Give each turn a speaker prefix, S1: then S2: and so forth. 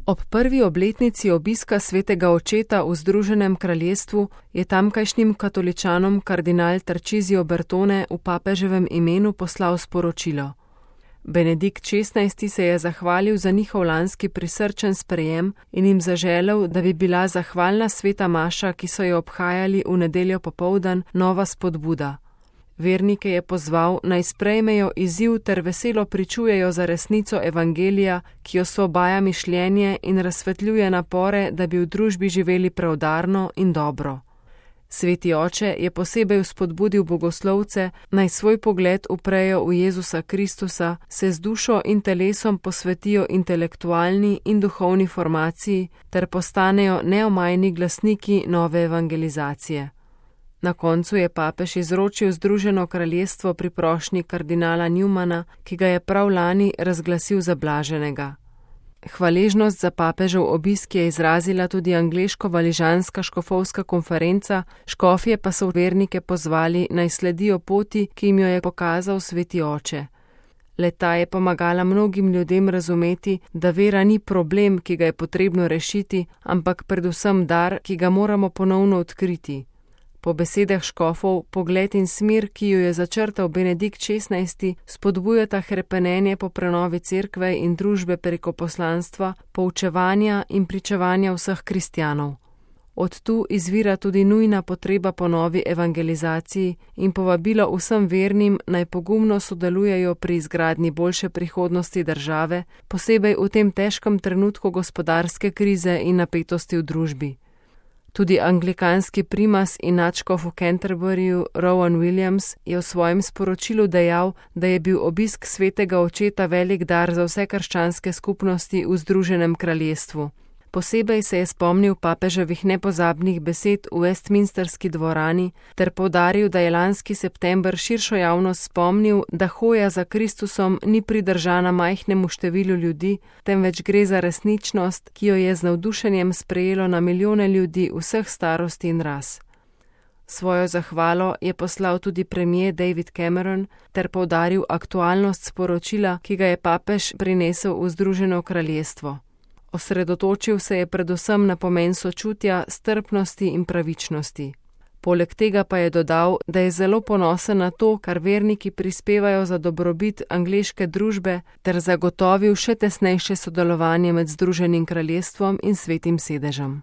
S1: Ob prvi obletnici obiska svetega očeta v Združenem kraljestvu je tamkajšnjim katoličanom kardinal Tarcísio Bertone v papeževem imenu poslal sporočilo. Benedikt XVI. Se je zahvalil za njihov lanski prisrčen sprejem in jim zaželel, da bi bila zahvalna sveta maša, ki so jo obhajali v nedeljo popoldan, nova spodbuda. Vernike je pozval, naj sprejmejo izziv ter veselo pričujejo za resnico evangelija, ki osvobaja mišljenje in razsvetljuje napore, da bi v družbi živeli preudarno in dobro. Sveti oče je posebej vzpodbudil bogoslovce, naj svoj pogled uprejo v Jezusa Kristusa, se z dušo in telesom posvetijo intelektualni in duhovni formaciji ter postanejo neomajni glasniki nove evangelizacije. Na koncu je papež izročil Združeno kraljestvo pri prošnji kardinala Newmana, ki ga je prav lani razglasil za blaženega. Hvaležnost za papežev obisk je izrazila tudi angleško-valižanska škofovska konferenca, škofje pa so vernike pozvali, naj sledijo poti, ki jim jo je pokazal sveti oče. Le-ta je pomagala mnogim ljudem razumeti, da vera ni problem, ki ga je potrebno rešiti, ampak predvsem dar, ki ga moramo ponovno odkriti. Po besedah škofov, pogled in smer, ki jo je začrtal Benedikt XVI., spodbujata hrepenenje po prenovi cerkve in družbe preko poslanstva, poučevanja in pričevanja vseh kristjanov. Od tu izvira tudi nujna potreba po novi evangelizaciji in povabilo vsem vernim, naj pogumno sodelujejo pri izgradnji boljše prihodnosti države, posebej v tem težkem trenutku gospodarske krize in napetosti v družbi. Tudi anglikanski primas in nadškof v Canterburyju Rowan Williams je v svojem sporočilu dejal, da je bil obisk svetega očeta velik dar za vse krščanske skupnosti v Združenem kraljestvu. Posebej se je spomnil papeževih nepozabnih besed v Westminsterski dvorani ter poudaril, da je lanski september širšo javnost spomnil, da hoja za Kristusom ni pridržana majhnemu številu ljudi, temveč gre za resničnost, ki jo je z navdušenjem sprejelo na milijone ljudi vseh starosti in ras. Svojo zahvalo je poslal tudi premier David Cameron ter poudaril aktualnost sporočila, ki ga je papež prinesel v Združeno kraljestvo. Osredotočil se je predvsem na pomen sočutja, strpnosti in pravičnosti. Poleg tega pa je dodal, da je zelo ponosen na to, kar verniki prispevajo za dobrobit angleške družbe, ter zagotovil še tesnejše sodelovanje med Združenim kraljestvom in Svetim sedežem.